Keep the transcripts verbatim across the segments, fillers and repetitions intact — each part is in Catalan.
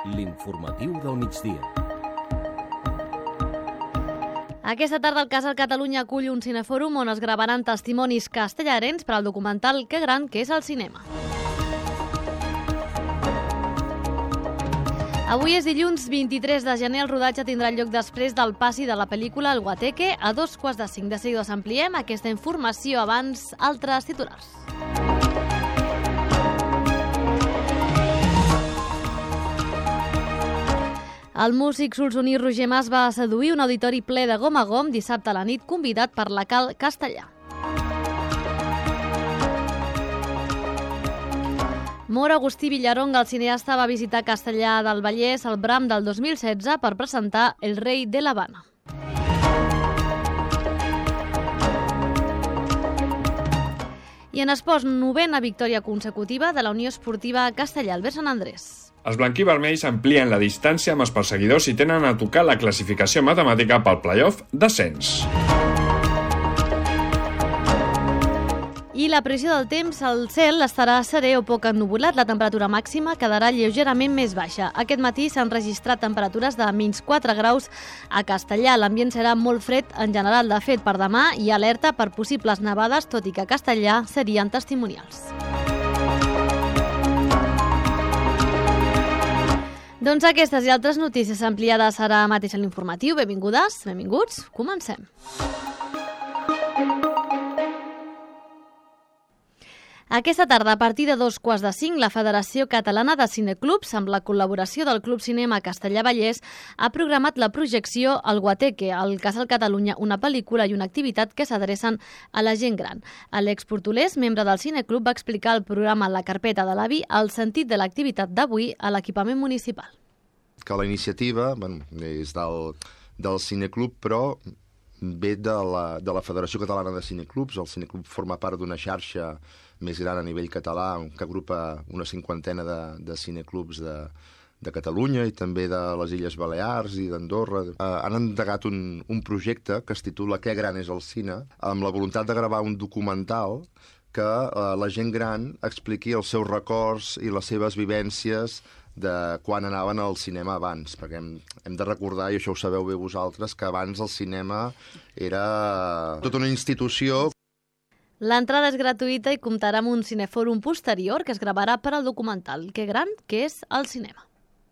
L'informatiu del migdia. Aquesta tarda el Casal Catalunya acull un cinefòrum on es gravaran testimonis castellarens per al documental Que gran que és el cinema. Avui és dilluns vint-i-tres de gener, el rodatge tindrà lloc després del passi de la pel·lícula El Guateque a dos quarts de cinc. De seguida us ampliem aquesta informació, abans altres titulars. El músic solsoní Roger Mas va seduir un auditori ple de gom a gom dissabte a la nit, convidat per la Cal Castellà. Mor Agustí Villaronga, el cineasta, va visitar Castellà del Vallès al Bram del dos mil setze per presentar El rei de l'Havana. I en esports, novena victòria consecutiva de la Unió Esportiva Castellà, Albert Sant Andrés. Els blanquivermells amplien la distància amb els perseguidors i tenen a tocar la classificació matemàtica pel play-off d'ascens. I la previsió del temps, el cel estarà serè o poc ennuvolat, la temperatura màxima quedarà lleugerament més baixa. Aquest matí s'han registrat temperatures de menys quatre graus a Castellà. L'ambient serà molt fred en general. De fet, per demà hi ha alerta per possibles nevades, tot i que a Castellà serien testimonials. Doncs aquestes i altres notícies ampliades ara mateix a l'informatiu. Benvingudes, benvinguts, comencem. Aquesta tarda, a partir de dos quarts de cinc, la Federació Catalana de Cineclubs, amb la col·laboració del Club Cinema Castellà Vallès, ha programat la projecció El Guateque, al Casal Catalunya, una pel·lícula i una activitat que s'adrecen a la gent gran. Àlex Portolés, membre del Cineclub, va explicar al programa La Carpeta de l'Avi el sentit de l'activitat d'avui a l'equipament municipal. Que la iniciativa bueno, és del, del Cineclub, però ve de la, de la Federació Catalana de Cineclubs. El Cineclub forma part d'una xarxa més gran a nivell català que agrupa una cinquantena de, de cineclubs de, de Catalunya i també de les Illes Balears i d'Andorra. Eh, han endegat un, un projecte que es titula Que gran és el cine, amb la voluntat de gravar un documental que eh, la gent gran expliqui els seus records i les seves vivències de quan anaven al cinema abans, perquè hem, hem de recordar, i això ho sabeu bé vosaltres, que abans el cinema era tota una institució. L'entrada és gratuïta i comptarà amb un cinefòrum posterior que es gravarà per al documental Que gran que és el cinema.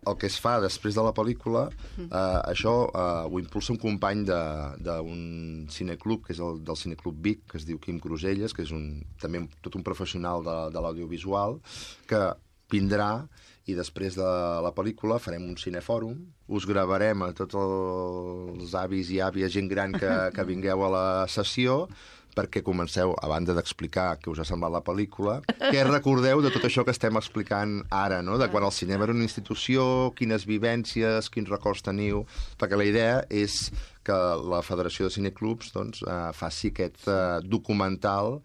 El que es fa després de la pel·lícula, eh, això eh, ho impulsa un company d'un cineclub, que és el del Cineclub Vic, que es diu Quim Cruselles, que és un, també tot un professional de, de l'audiovisual, que vindrà i després de la pel·lícula farem un cinefòrum, us gravarem a tots els avis i àvies, gent gran que, que vingueu a la sessió, perquè comenceu, a banda d'explicar què us ha semblat la pel·lícula, què recordeu de tot això que estem explicant ara, no? De quan el cinema era una institució, quines vivències, quins records teniu, perquè la idea és que la Federació de Cineclubs doncs, eh, faci aquest eh, documental.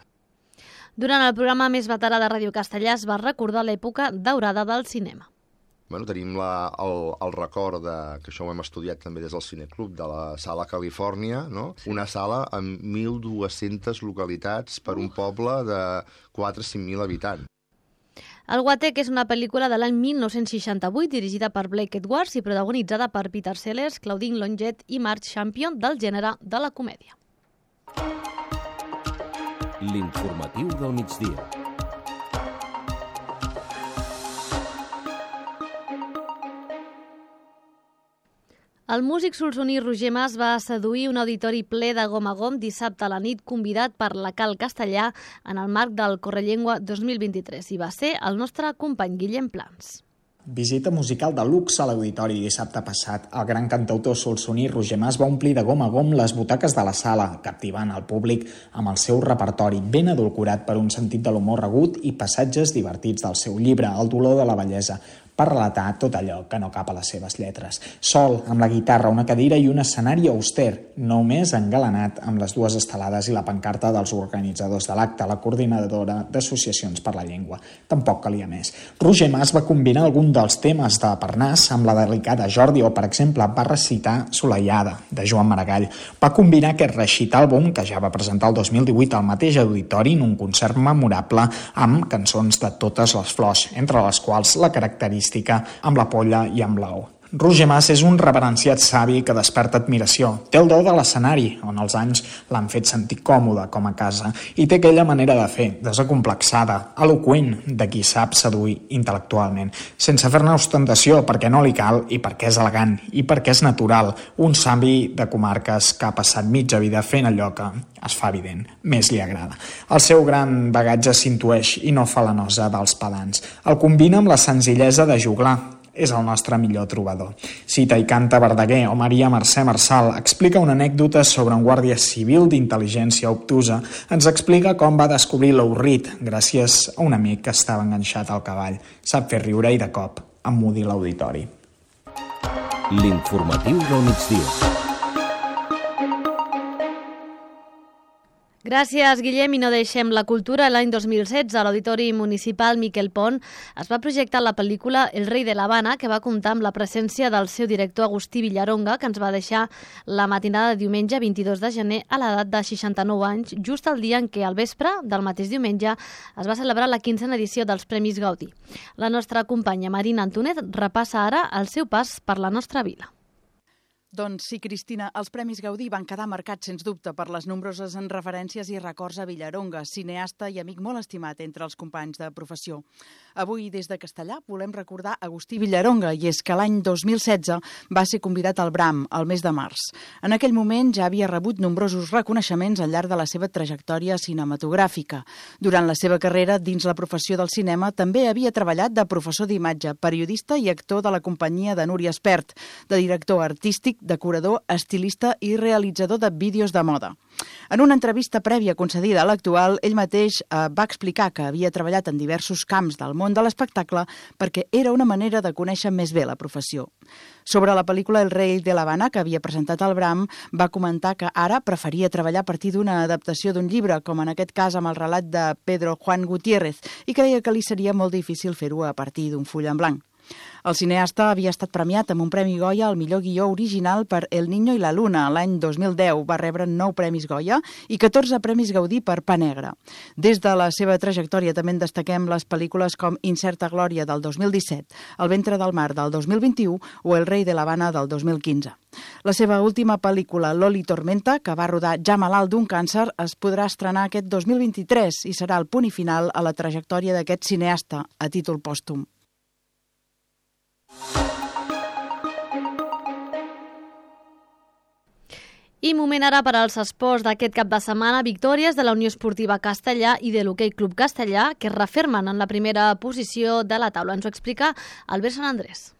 Durant el programa més veterà de Ràdio Castellà es va recordar l'època daurada del cinema. Bueno, tenim la, el, el record, de, que això ho hem estudiat també des del Cineclub, de la Sala Califòrnia, no? Sí. Una sala amb mil dues-centes localitats per un poble de quatre a cinc mil habitants. El Guateque és una pel·lícula de l'any mil nou-cents seixanta-vuit dirigida per Blake Edwards i protagonitzada per Peter Sellers, Claudine Longet i Mark Champion, del gènere de la comèdia. L'informatiu del migdia. El músic solsoní Roger Mas va seduir un auditori ple de gom a gom dissabte a la nit, convidat per la Cal Castellà en el marc del Correllengua dos mil vint-i-tres, i va ser el nostre company Guillem Plans. Visita musical de luxe a l'auditori dissabte passat. El gran cantautor solsoní Roger Mas va omplir de gom a gom les butaques de la sala, captivant el públic amb el seu repertori ben adulcorat per un sentit de l'humor agut i passatges divertits del seu llibre, El dolor de la bellesa, per relatar tot allò que no cap a les seves lletres. Sol, amb la guitarra, una cadira i un escenari auster, només engalanat amb les dues estelades i la pancarta dels organitzadors de l'acte, la coordinadora d'associacions per la llengua. Tampoc calia més. Roger Mas va combinar algun dels temes de Parnàs amb la delicada Jordi o, per exemple, va recitar Soleiada, de Joan Maragall. Va combinar aquest recital àlbum, que ja va presentar el dos mil divuit al mateix auditori en un concert memorable amb cançons de totes les flors, entre les quals la característica característica amb la polla i amb l'ou. Roger Mas és un reverenciat savi que desperta admiració. Té el do de l'escenari, on els anys l'han fet sentir còmode com a casa, i té aquella manera de fer, desacomplexada, eloqüent, de qui sap seduir intel·lectualment, sense fer-ne ostentació, perquè no li cal i perquè és elegant i perquè és natural, un savi de comarques que ha passat mitja vida fent allò que es fa evident, més li agrada. El seu gran bagatge s'intueix i no fa la nosa dels pedants. El combina amb la senzillesa de juglar. És el nostre millor trobador. Cita i canta Verdaguer o Maria Mercè Marçal, explica una anècdota sobre un guàrdia civil d'intel·ligència obtusa, ens explica com va descobrir l'Aurrit gràcies a un amic que estava enganxat al cavall. Sap fer riure i de cop emmudir l'auditori. L'informatiu del migdia. Gràcies, Guillem, i no deixem la cultura. L'any dos mil setze, a l'Auditori Municipal Miquel Pont, es va projectar la pel·lícula El rei de l'Havana, que va comptar amb la presència del seu director Agustí Villaronga, que ens va deixar la matinada de diumenge vint-i-dos de gener a l'edat de seixanta-nou anys, just el dia en què, al vespre del mateix diumenge, es va celebrar la quinzena edició dels Premis Gaudí. La nostra companya Marina Antúnez repassa ara el seu pas per la nostra vila. Doncs sí, Cristina, els Premis Gaudí van quedar marcats, sens dubte, per les nombroses referències i records a Villaronga, cineasta i amic molt estimat entre els companys de professió. Avui, des de Castellà, volem recordar Agustí Villaronga, i és que l'any dos mil setze va ser convidat al Bram, al mes de març. En aquell moment ja havia rebut nombrosos reconeixements al llarg de la seva trajectòria cinematogràfica. Durant la seva carrera dins la professió del cinema també havia treballat de professor d'imatge, periodista i actor de la companyia de Núria Espert, de director artístic, decorador, estilista i realitzador de vídeos de moda. En una entrevista prèvia concedida a l'Actual, ell mateix eh, va explicar que havia treballat en diversos camps del món de l'espectacle perquè era una manera de conèixer més bé la professió. Sobre la pel·lícula El rei de l'Havana, que havia presentat al Bram, va comentar que ara preferia treballar a partir d'una adaptació d'un llibre, com en aquest cas amb el relat de Pedro Juan Gutiérrez, i creia que li seria molt difícil fer-ho a partir d'un full en blanc. El cineasta havia estat premiat amb un Premi Goya al millor guió original per El niño y la luna. L'any dos mil deu va rebre nou Premis Goya i catorze Premis Gaudí per Pa Negre. Des de la seva trajectòria també en destaquem les pel·lícules com Incerta glòria del dos mil disset, El ventre del mar del dos mil vint-i-u o El rei de l'Havana del dos mil quinze. La seva última pel·lícula, Loli Tormenta, que va rodar ja malalt d'un càncer, es podrà estrenar aquest dos mil vint-i-tres i serà el punt i final a la trajectòria d'aquest cineasta a títol pòstum. I moment ara per als esports d'aquest cap de setmana, victòries de la Unió Esportiva Castellà i de l'Hoquei Club Castellà, que es refermen en la primera posició de la taula. Ens ho explica Albert Sant Andrés.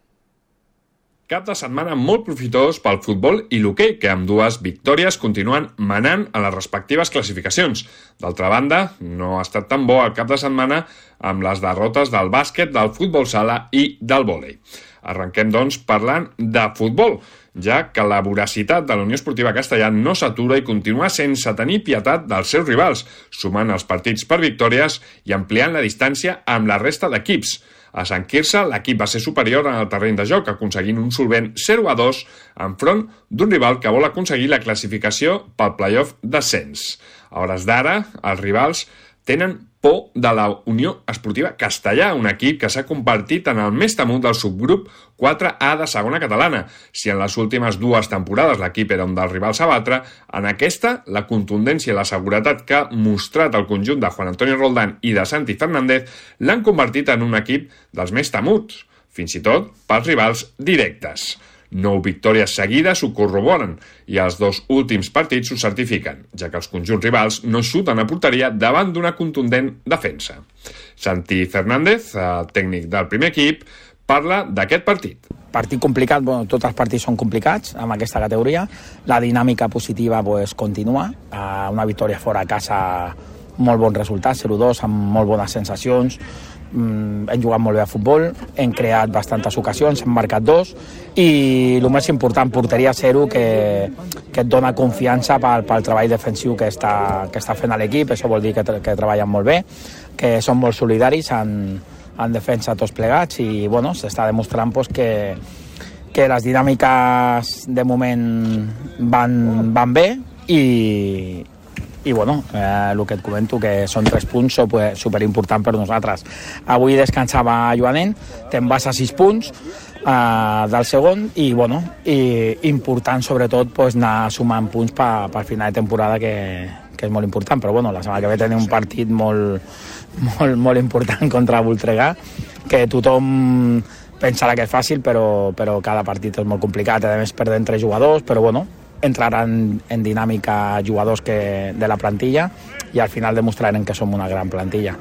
Cap de setmana molt profitós pel futbol i l'hoquei, que amb dues victòries continuen manant a les respectives classificacions. D'altra banda, no ha estat tan bo el cap de setmana amb les derrotes del bàsquet, del futbol sala i del vòlei. Arrenquem, doncs, parlant de futbol, ja que la voracitat de la Unió Esportiva Castellà no s'atura i continua sense tenir pietat dels seus rivals, sumant els partits per victòries i ampliant la distància amb la resta d'equips. A Sant Quirze, l'equip va ser superior en el terreny de joc, aconseguint un solvent zero a dos enfront d'un rival que vol aconseguir la classificació pel play-off d'ascens. A hores d'ara, els rivals tenen por de la Unió Esportiva Castellà, un equip que s'ha convertit en el més temut del subgrup quatre A de segona catalana. Si en les últimes dues temporades l'equip era un dels rivals a batre, en aquesta la contundència i la seguretat que ha mostrat el conjunt de Juan Antonio Roldán i de Santi Fernández l'han convertit en un equip dels més temuts, fins i tot pels rivals directes. Nou victòries seguides ho corroboren i els dos últims partits ho certifiquen, ja que els conjunts rivals no xuten a porteria davant d'una contundent defensa. Santi Fernández, el tècnic del primer equip, parla d'aquest partit. Partit complicat, bueno, tots els partits són complicats amb aquesta categoria. La dinàmica positiva pues, continua. Uh, una victòria fora a casa, molt bon resultat, zero dos, amb molt bones sensacions. Mm, hem jugat molt bé a futbol, hem creat bastantes ocasions, hem marcat dos i el més important, porteria zero, que, que et dona confiança pel, pel treball defensiu que està, que està fent l'equip. Això vol dir que, que treballen molt bé, que són molt solidaris en, en defensa tots plegats i bueno, s'està demostrant pues, que, que les dinàmiques de moment van, van bé i i bueno, eh, el que et comento, que són tres punts superimportants per nosaltres. Avui descansava Joanen, te'n vas a sis punts eh, del segon, i bueno, i important sobretot pues, anar sumant punts per, per final de temporada, que, que és molt important, però bueno, la setmana que ve tenim un partit molt, molt, molt important contra Voltregà, que tothom pensarà que és fàcil, però, però cada partit és molt complicat, a més perdent tres jugadors, però bueno, entraran en dinàmica jugadors que de la plantilla i al final demostrarem que som una gran plantilla.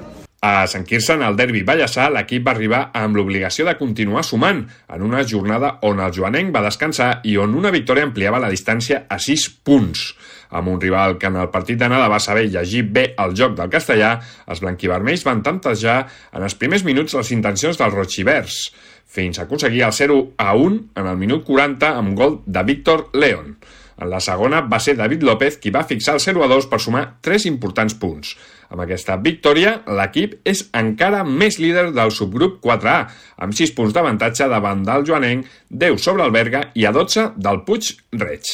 A Sant Quirze, en el derbi Ballassà, l'equip va arribar amb l'obligació de continuar sumant en una jornada on el joanenc va descansar i on una victòria ampliava la distància a sis punts. Amb un rival que en el partit d'anada va saber llegir bé el joc del castellà, els blanquivermells van tantejar en els primers minuts les intencions dels rojivers, fins a aconseguir el zero a un en el minut quaranta amb gol de Víctor León. En la segona va ser David López qui va fixar el zero a dos per sumar tres importants punts. Amb aquesta victòria, l'equip és encara més líder del subgrup quatre A, amb sis punts d'avantatge davant del joanenc, deu sobre el Berga i a dotze del Puig Reig.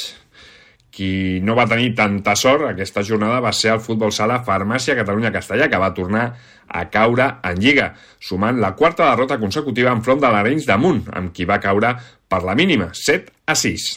Qui no va tenir tanta sort aquesta jornada va ser el futbol sala Farmàcia Catalunya Castellà, que va tornar a caure en Lliga, sumant la quarta derrota consecutiva enfront de l'Arenys de Munt, amb qui va caure per la mínima, set a sis.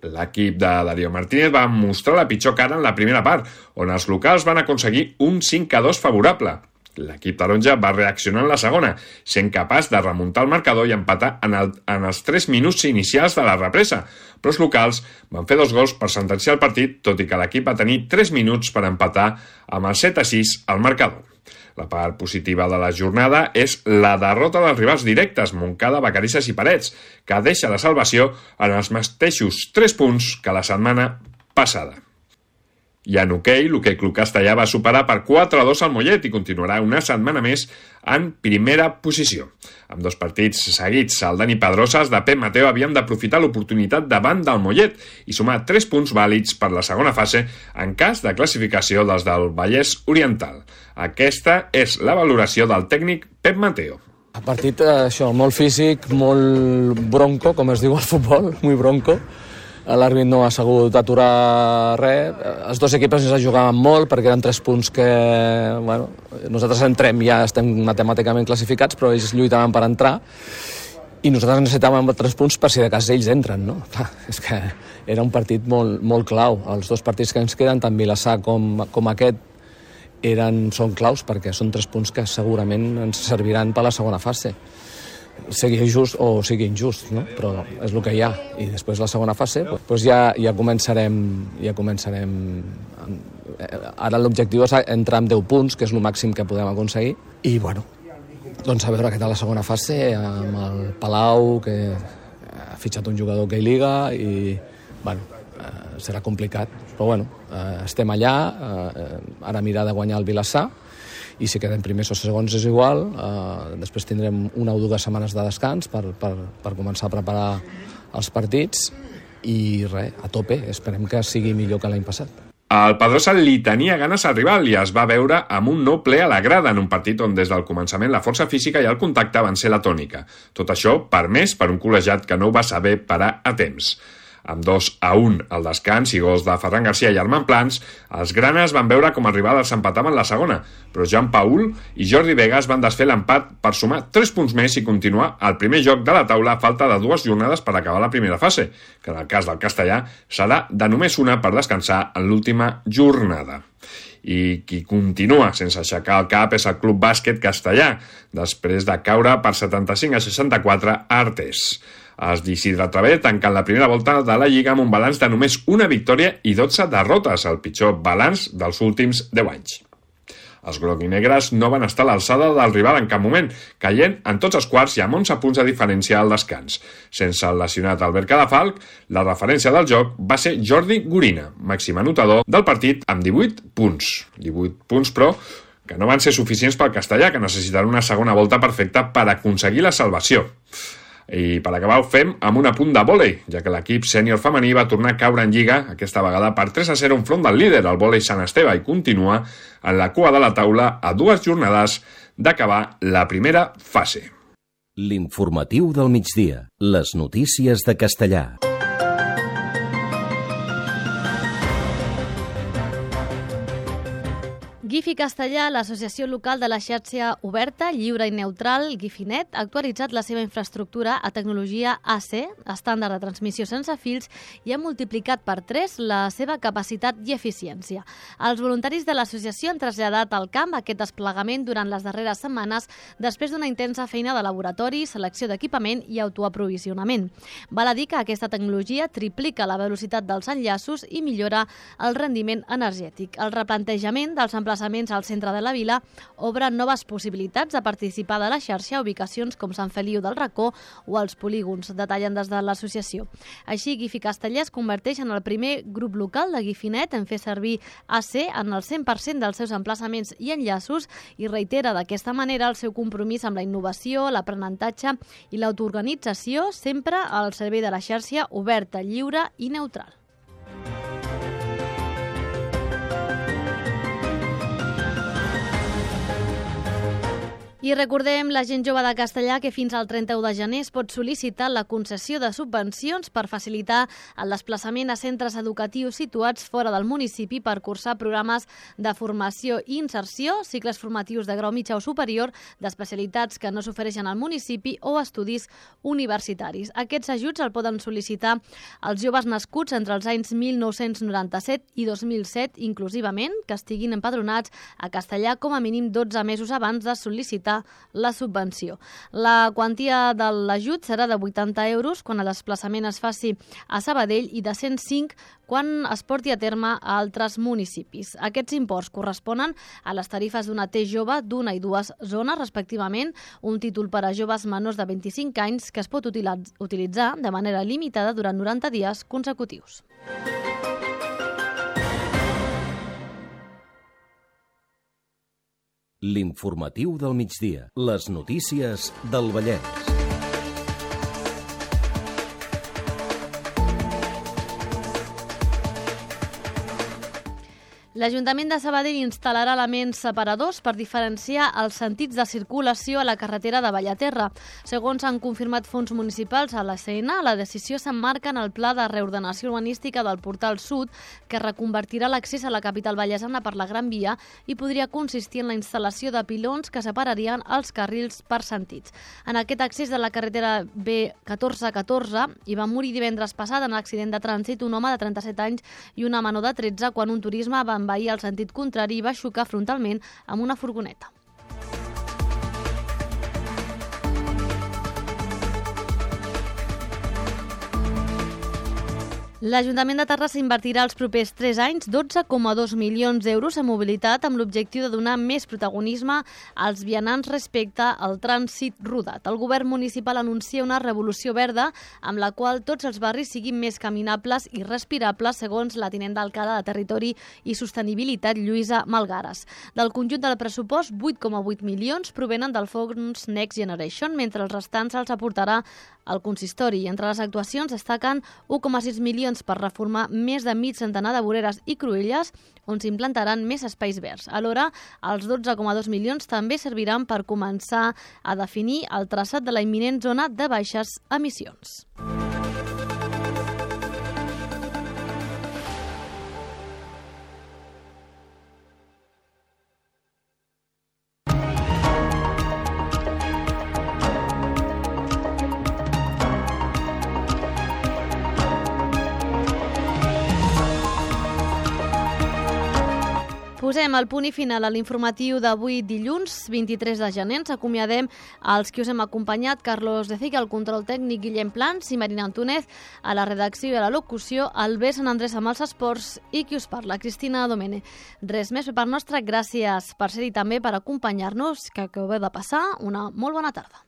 L'equip de Darío Martínez va mostrar la pitjor cara en la primera part, on els locals van aconseguir un cinc a dos favorable. L'equip taronja va reaccionar en la segona, sent capaç de remuntar el marcador i empatar en, el, en els tres minuts inicials de la represa, però els locals van fer dos gols per sentenciar el partit, tot i que l'equip va tenir tres minuts per empatar amb el set a sis al marcador. La part positiva de la jornada és la derrota dels rivals directes, Montcada, Vacarisses i Parets, que deixa la salvació en els mateixos tres punts que la setmana passada. I en hoquei, l'Hoquei Club Castellà va superar per quatre a dos al Mollet i continuarà una setmana més en primera posició. Amb dos partits seguits, el Dani Pedroses de Pep Mateo havien d'aprofitar l'oportunitat davant del Mollet i sumar tres punts vàlids per la segona fase en cas de classificació dels del Vallès Oriental. Aquesta és la valoració del tècnic Pep Mateo. El partit, això, molt físic, molt bronco, com es diu al futbol, muy bronco. L'àrbit no ha sabut aturar res. Els dos equips ens jugaven molt perquè eren tres punts que, bueno, nosaltres entrem, ja estem matemàticament classificats, però ells lluitaven per entrar i nosaltres necessitàvem tres punts per si de cas ells entren, no? Clar, és que era un partit molt, molt clau. Els dos partits que ens queden, tant Vilassar com, com aquest, eren, són claus perquè són tres punts que segurament ens serviran per la segona fase. Sigui just o sigui injust, no? Però és el que hi ha. I després la segona fase, doncs ja, ja començarem... Ja començarem... Ara l'objectiu és entrar amb deu punts, que és el màxim que podem aconseguir. I, bueno, doncs a veure què tal la segona fase, amb el Palau, que ha fitxat un jugador que hi liga, i, bueno, eh, serà complicat. Però, bueno, eh, estem allà, eh, ara mirar de guanyar el Vilassar, i si quedem primers o segons és igual, eh, després tindrem una o dues setmanes de descans per, per, per començar a preparar els partits i res, a tope, esperem que sigui millor que l'any passat. El Pedrosa li tenia ganes al rival i es va veure amb un nou ple a la grada en un partit on des del començament la força física i el contacte van ser la tònica. Tot això permès per un col·legiat que no ho va saber parar a temps. Amb dos a un al descans i gols de Ferran Garcia i Armand Plans, els granes van veure com el rival els empatava en la segona, però Jean Paul i Jordi Vegas van desfer l'empat per sumar tres punts més i continuar al primer joc de la taula a falta de dues jornades per acabar la primera fase, que en el cas del castellà serà de només una per descansar en l'última jornada. I qui continua sense aixecar el cap és el Club Bàsquet Castellà, després de caure per setanta-cinc a seixanta-quatre a Artés. Els d'Isidre Traver tanquen la primera volta de la Lliga amb un balanç de només una victòria i dotze derrotes, el pitjor balanç dels últims deu anys. Els groguinegres no van estar a l'alçada del rival en cap moment, caient en tots els quarts i amb onze punts de diferència al descans. Sense el lesionat Albert Cadafalc, la referència del joc va ser Jordi Gorina, màxim anotador del partit amb divuit punts. divuit punts, però, que no van ser suficients pel castellà, que necessitarà una segona volta perfecta per aconseguir la salvació. I per acabar ho fem amb un apunt de vòlei, ja que l'equip sènior femení va tornar a caure en Lliga, aquesta vegada per tres a zero enfront del líder, el vòlei Sant Esteve, i continua en la cua de la taula a dues jornades d'acabar la primera fase. L'informatiu del migdia. Les notícies de Castellà. GIFI Castellà, l'associació local de la xarxa oberta, lliure i neutral, GIFInet, ha actualitzat la seva infraestructura a tecnologia A C, estàndard de transmissió sense fils, i ha multiplicat per tres la seva capacitat i eficiència. Els voluntaris de l'associació han traslladat al camp aquest desplegament durant les darreres setmanes després d'una intensa feina de laboratori, selecció d'equipament i autoaprovisionament. Val a dir que aquesta tecnologia triplica la velocitat dels enllaços i millora el rendiment energètic. El replantejament dels emplaçaments al centre de la vila obre noves possibilitats de participar de la xarxa a ubicacions com Sant Feliu del Racó o els polígons, detallen des de l'associació. Així, GIFI Castellà es converteix en el primer grup local de GIFInet en fer servir A C en el cent per cent dels seus emplaçaments i enllaços i reitera d'aquesta manera el seu compromís amb la innovació, l'aprenentatge i l'autoorganització, sempre al servei de la xarxa oberta, lliure i neutral. I recordem la gent jove de Castellà que fins al trenta-u de gener es pot sol·licitar la concessió de subvencions per facilitar el desplaçament a centres educatius situats fora del municipi per cursar programes de formació i inserció, cicles formatius de grau mitjà o superior, d'especialitats que no s'ofereixen al municipi o estudis universitaris. Aquests ajuts el poden sol·licitar els joves nascuts entre els anys mil nou-cents noranta-set i dos mil set inclusivament, que estiguin empadronats a Castellà com a mínim dotze mesos abans de sol·licitar la subvenció. La quantia de l'ajut serà de vuitanta euros quan el desplaçament es faci a Sabadell i de cent cinc quan es porti a terme a altres municipis. Aquests imports corresponen a les tarifes d'una T jove d'una i dues zones, respectivament, un títol per a joves menors de vint-i-cinc anys que es pot utilitzar de manera limitada durant noranta dies consecutius. L'informatiu del migdia. Les notícies del Vallès. L'Ajuntament de Sabadell instal·larà elements separadors per diferenciar els sentits de circulació a la carretera de Bellaterra. Segons han confirmat fons municipals a l'A C N, la decisió s'emmarca en el pla de reordenació urbanística del Portal Sud, que reconvertirà l'accés a la capital vallesana per la Gran Via i podria consistir en la instal·lació de pilons que separarien els carrils per sentits. En aquest accés de la carretera B catorze catorze hi va morir divendres passat en accident de trànsit un home de trenta-set anys i una menor de tretze quan un turisme va envair el sentit contrari i va xocar frontalment amb una furgoneta. L'Ajuntament de Terrassa invertirà els propers tres anys dotze coma dos milions d'euros en mobilitat amb l'objectiu de donar més protagonisme als vianants respecte al trànsit rodat. El govern municipal anuncia una revolució verda amb la qual tots els barris siguin més caminables i respirables, segons la tinent d'alcalde de Territori i Sostenibilitat, Lluïsa Malgares. Del conjunt del pressupost, vuit coma vuit milions provenen del fons Next Generation, mentre els restants els aportarà el consistori. Entre les actuacions destaquen u coma sis milions per reformar més de mig centenar de voreres i cruïlles on s'implantaran més espais verds. Alhora, els dotze coma dos milions també serviran per començar a definir el traçat de la imminent zona de baixes emissions. Posem el punt i final a l'informatiu d'avui dilluns, vint-i-tres de gener. Ens acomiadem als qui us hem acompanyat, Carlos de Cic, al control tècnic, Guillem Plans i Marina Antúnez, a la redacció i a la locució, Albert Sant Andrés amb els esports i qui us parla, Cristina Domene. Res més per part nostra, gràcies per ser-hi també, per acompanyar-nos, que acabeu de passar una molt bona tarda.